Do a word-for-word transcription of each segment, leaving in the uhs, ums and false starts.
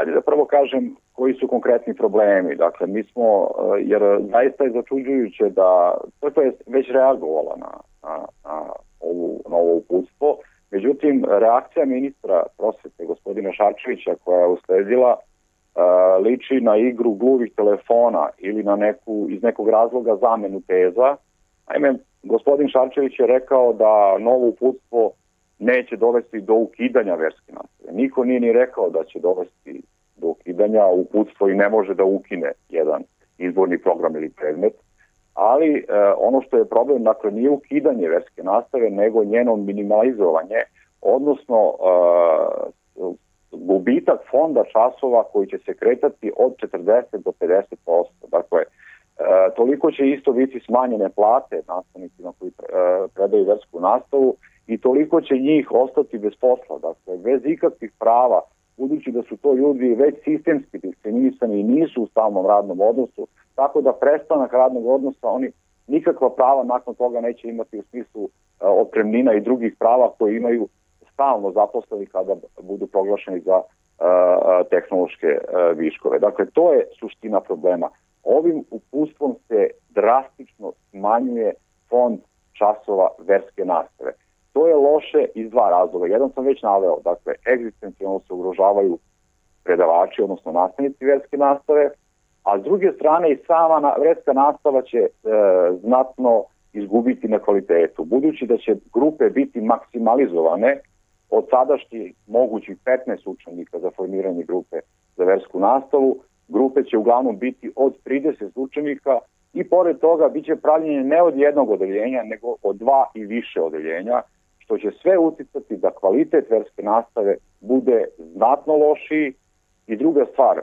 Ajde da prvo kažem koji su konkretni problemi. Dakle, mi smo, jer zaista je začuđujuće da crkva je već reagovala na, na, na, ovu, na ovo uputstvo. Međutim, reakcija ministra prosvete, gospodina Šarčevića, koja je usledila, liči na igru gluvih telefona ili na neku, iz nekog razloga zamenu teza. Naime, gospodin Šarčević je rekao da novo uputstvo neće dovesti do ukidanja verske nastave. Niko nije ni rekao da će dovesti do ukidanja, uputstvo i ne može da ukine jedan izborni program ili predmet, ali e, ono što je problem, dakle, nije ukidanje verske nastave, nego njeno minimalizovanje, odnosno e, gubitak fonda časova koji će se kretati od četrdeset do pedeset posto. Dakle, e, toliko će isto biti smanjene plate nastavnicima koji pre, e, predaju versku nastavu i toliko će njih ostati bez posla, dakle, bez ikakvih prava, budući da su to ljudi već sistemski diskriminisani i nisu u stalnom radnom odnosu, tako da prestanak radnog odnosa oni nikakva prava nakon toga neće imati u smislu uh, otpremnina i drugih prava koje imaju stalno zaposleni kada budu proglašeni za uh, tehnološke uh, viškove. Dakle, to je suština problema. Ovim uputstvom se drastično smanjuje fond časova verske nastave. To je loše iz dva razloga. Jedan sam već naveo, dakle, egzistencijalno se ugrožavaju predavači, odnosno nastavnici verske nastave, a s druge strane i sama verska nastava će e, znatno izgubiti na kvalitetu, budući da će grupe biti maksimalizovane od sadašnjih mogućih petnaest učenika za formiranje grupe za versku nastavu. Grupe će uglavnom biti od trideset učenika i pored toga biće pravljenje ne od jednog odeljenja, nego od dva i više odeljenja, što će sve uticati da kvalitet verske nastave bude znatno lošiji. I druga stvar, e,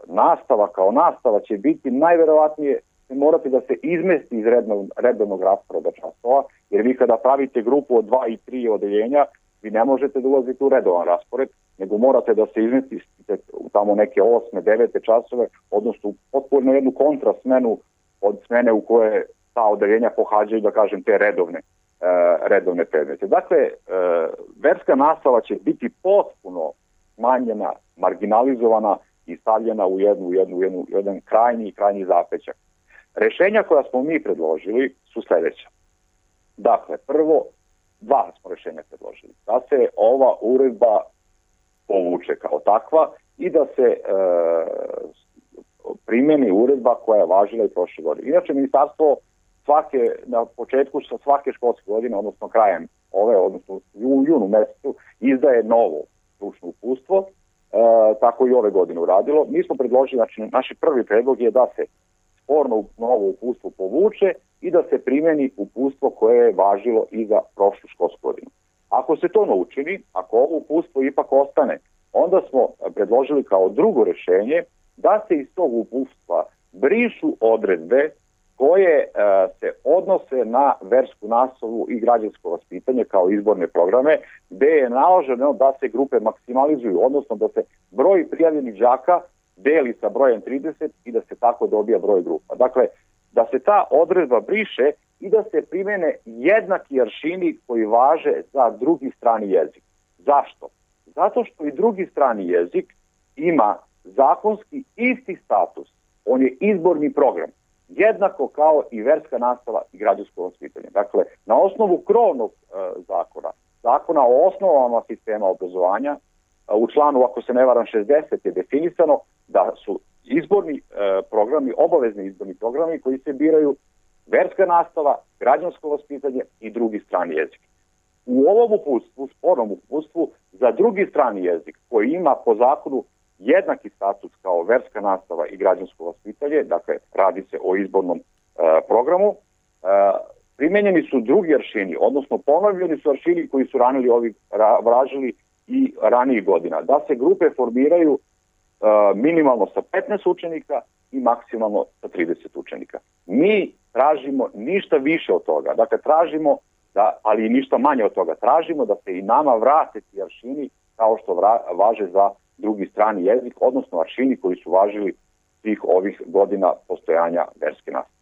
nastava kao nastava će biti najverovatnije morati da se izmesti iz rednog, redovnog rasporeda časova, jer vi kada pravite grupu od dva i tri odeljenja, vi ne možete da ulazite u redovan raspored, nego morate da se izmestite u tamo neke osme, devete časove, odnosno potpuno jednu kontrasmenu od smene u koje ta odeljenja pohađaju, da kažem, te redovne redovne predmete. Dakle, verska nastava će biti potpuno smanjena, marginalizovana i stavljena u jednu, jednu, jednu, jedan krajnji i krajnji zapećak. Rešenja koja smo mi predložili su sljedeća. Dakle, prvo, dva smo rešenja predložili. Da se ova uredba povuče kao takva i da se e, primjeni uredba koja je važila i prošle godine. Inače, ministarstvo svake, na početku sa svake školske godine, odnosno krajem ove, odnosno u junu mesecu, izdaje novo stručno uputstvo, e, tako i ove godine uradilo. Mi smo predložili, znači naš prvi predlog je da se sporno novo uputstvo povuče i da se primjeni uputstvo koje je važilo i za prošlu školsku godinu. Ako se to ne učini, ako ovo uputstvo ipak ostane, onda smo predložili kao drugo rešenje da se iz tog uputstva brišu odredbe koje e, se odnose na versku nastavu i građansko vaspitanje kao izborne programe, gde je naloženo da se grupe maksimalizuju, odnosno da se broj prijavljenih đaka deli sa brojem trideset i da se tako dobija broj grupa. Dakle, da se ta odredba briše i da se primene jednaki aršini koji važe za drugi strani jezik. Zašto? Zato što i drugi strani jezik ima zakonski isti status. On je izborni program, jednako kao i verska nastava i građansko vaspitanje. Dakle, na osnovu krovnog e, zakona, zakona o osnovama sistema obrazovanja, e, u članu, ako se ne varam, šezdeset je definisano da su izborni e, programi, obavezni izborni programi koji se biraju verska nastava, građansko vaspitanje i drugi strani jezik. U ovom uputstvu, spornom uputstvu, za drugi strani jezik koji ima po zakonu jednaki status kao verska nastava i građansko vaspitanje, dakle radi se o izbornom e, programu, e, primenjeni su drugi aršini, odnosno ponovljeni su aršini koji su ranili ovi, ra, vražili i ranijih godina, da se grupe formiraju e, minimalno sa petnaest učenika i maksimalno sa trideset učenika. Mi tražimo ništa više od toga, dakle tražimo, da, ali i ništa manje od toga, tražimo da se i nama vrate ti aršini kao što vra, važe za drugi strani jezik, odnosno aršini koji su važili svih ovih godina postojanja verske nastave.